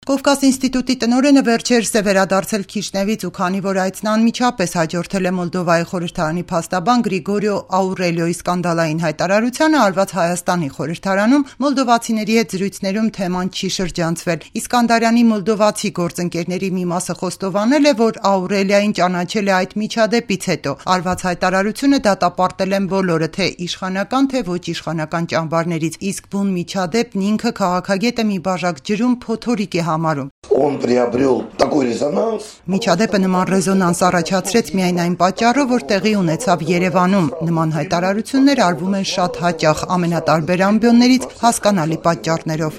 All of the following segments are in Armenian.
Կովկաս ինստիտուտի տնօրենը վերջերս է վերադարձել Քիշնևից ու քանի որ այցն անմիջապես հաջորդել է Մոլդովայի խորհրդարանի փաստաբան Գրիգորիո Աուրելիոյի սկանդալային հայտարարությանը, արված Հայաստանի խորհրդարանում մոլդովացիների հետ զրույցներում թեման չի շրջանցվել։ Իսկանդարյանի մոլդովացի գործընկերների մի մասը խոստովանել է, որ Աուրելիային ճանաչել է այդ միջադեպից հետո։ Արված հայտարարությունը դատապարտել են բոլորը, թե իշխանական, թե ոչ իշխանական ճամբարներից, իսկ բուն միջադեպն ինքը քաղաքագետը մի բաժակ ջրում փոթորիկ է համարում։ Միջադեպը նման ռեզոնանս առաջացրեց միայն այն պատճառով, որ տեղի ունեցավ Երևանում։ Նման հայտարարություններ արվում են շատ հաճախ ամենատարբեր ամբիոններից հասկանալի պատճառներով։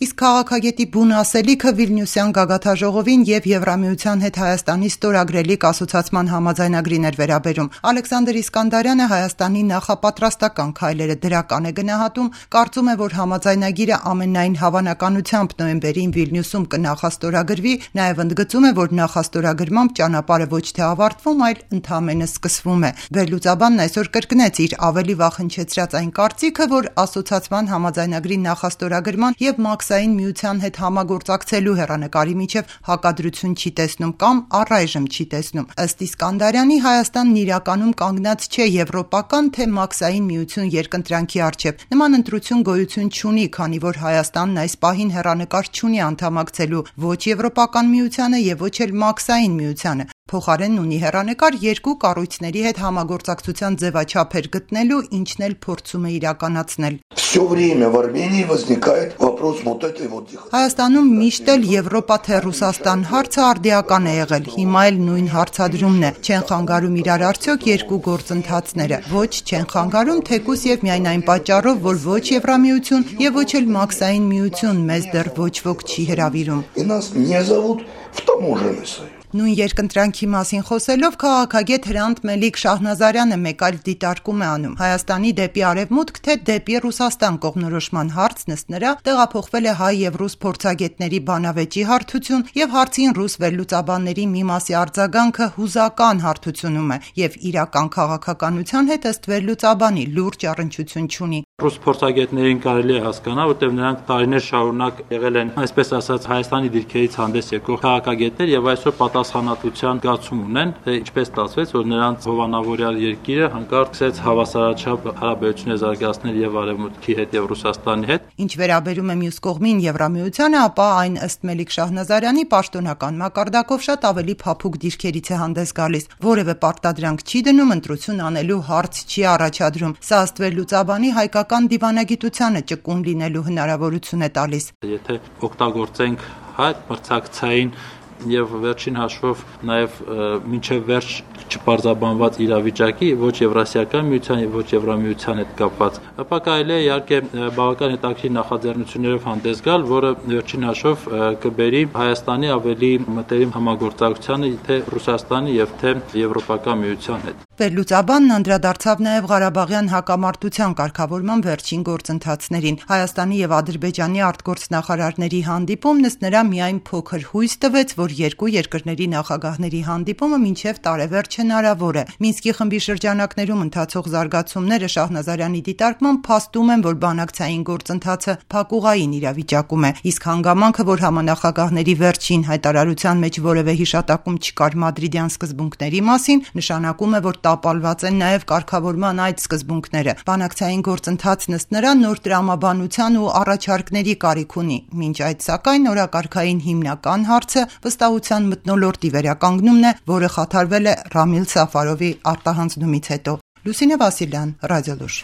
Իսկ քաղաքագետի բուն ասելիքը Վիլնյուսյան գագաթաժողովին եւ Եվրամիության հետ Հայաստանի ստորագրելիք ասոցիացման համաձայնագրին էր վերաբերում։ Ալեքսանդր Իսկանդարյանը Հայաստանի նախապատրաստական քայլերը դրական է գնահատում, կարծում է, որ համաձայնագիրը ամենայն հավանականությամբ նոյեմբերին Վիլնյուսում կնախաստորագրվի, նաեւ ընդգծում է, որ նախաստորագրմամբ ճանապարհը ոչ թե ավարտվում, այլ ընդամենը սկսվում է։ Վերլուծաբանն այսօր կրկնեց իր ավելի վաղ հնչեցրած այն կարծիքը, որ ասոցիացման համաձայնագրի նախաստորագրման եւ Մաքսային միության հետ համագործակցելու հեռանկարի միջև հակադրություն չի տեսնում կամ առայժմ չի տեսնում։ Ըստ Իսկանդարյանի Հայաստանն իրականում կանգնած չէ եվրոպական թե Մաքսային միություն երկընտրանքի առջև։ Նման ընտրություն գոյություն չունի, քանի որ Հայաստանն այս պահին հեռանկար չունի անդամակցելու ոչ Եվրոպական միությանը եւ ոչ էլ Մաքսային միությանը։ Փոխարենն ունի հեռանկար երկու կառույցների հետ համագործակցության ձևաչափեր գտնելու, ինչն էլ փորձում է իրականացնել։ Հայաստանում միշտ էլ Եվրոպա թե Ռուսաստան հարցը արդիական է եղել, հիմա էլ նույն հարցադրումն է։ Չեն խանգարում իրար արդյոք երկու գործընթացները։ Ոչ, չեն խանգարում, թեկուզ եւ միայն այն պատճառով, որ ոչ Եվրամիություն եւ ոչ էլ Մաքսային միություն մեզ դեռ ոչ ոք չի հրավիրում։ Նույն երկընտրանքի մասին խոսելով քաղաքագետ Հրանտ Մելիք Շահնազարյանը մեկ այլ դիտարկում է անում։ Հայաստանի դեպի արևմուտք թե դեպի Ռուսաստան կողմնորոշման հարցն ըստ նրա տեղափոխվել է հայ եւ ռուս փորձագետների բանավեճի հարթություն եւ հարցին ռուս վերլուծաբանների մի մասի արձագանքը հուզական հարթությունում է եւ իրական քաղաքականության հետ ըստ վերլուծաբանի լուրջ առնչություն չունի։ Ռուս փորձագետներին կարելի է հասկանալ, որտեղ նրանք տարիներ շարունակ եղել են, այսպես ասած, Հայաստանի դիրքերից հանդես եկող քաղաքագետներ եւ այսօր պատասխանատվության զգացում ունեն, թե ինչպես ստացվեց, որ նրանց հովանավորյալ երկիրը հանկարծ սկսեց հավասարաչափ հարաբերություններ զարգացնել եւ Արևմուտքի հետ եւ Ռուսաստանի հետ։ Ինչ վերաբերում է մյուս կողմին Եվրամիությանը, ապա այն ըստ Մելիք Շահնազարյանի պաշտոնական մակարդակով շատ ավելի փափուկ դիրքերից է հանդես գալիս, որևէ պարտադրանք չի դնում, ընտրություն անելու հարց չի առաջադրում։ Սա ըստ վերլուծաբանի հայկական դիվանագիտությանը ճկուն լինելու հնարավորություն է տալիս։ Եթե օգտագործենք այդ մրցակցային եւ վերջին հաշվով նաեւ մինչեւ վերջ չպարզաբանված իրավիճակի ոչ Եվրասիական միության եւ ոչ Եվրամիության հետ կապված, ապա կարելի է իհարկե բավական հետաքրքիր նախաձեռնություններով հանդես գալ, որը վերջին հաշվով կբերի Հայաստանի ավելի մտերիմ համագործակցությանը թե Ռուսաստանի եւ թե Եվրոպական միության հետ։ Վերլուծաբանն անդրադարձավ նաև Ղարաբաղյան հակամարտության կարգավորման վերջին գործընթացներին։ Հայաստանի եւ Ադրբեջանի արտգործնախարարների հանդիպումն ըստ նրա միայն փոքր հույս տվեց, որ երկու երկրների նախագահների հանդիպումը մինչև տարեվերջ հնարավոր է։ Մինսկի խմբի շրջանակներում ընթացող զարգացումները Շահնազարյանի դիտարկմամբ փաստում են, որ բանակցային գործընթացը փակուղային իրավիճակում է, իսկ հանգամանքը, որ համանախագահների վերջին հայտարարության մեջ որևէ հիշատակում չկար մադրիդյան սկզբունքների մասին, նշանակում է, որ տապալված են նաև կարգավորման այդ սկզբունքները։ Բանակցային գործընթացն ըստ նրա նոր տրամաբանության ու առաջարկների կարիք ունի։ Մինչ այդ սակայն օրակարգային հիմնական հարցը վստահության մթնոլորտի վերականգնումն է, որը խաթարվել է Ռամիլ Սաֆարովի արտահանձնումից հետո։ Լուսինե Վասիլյան, Ռադիոլուր։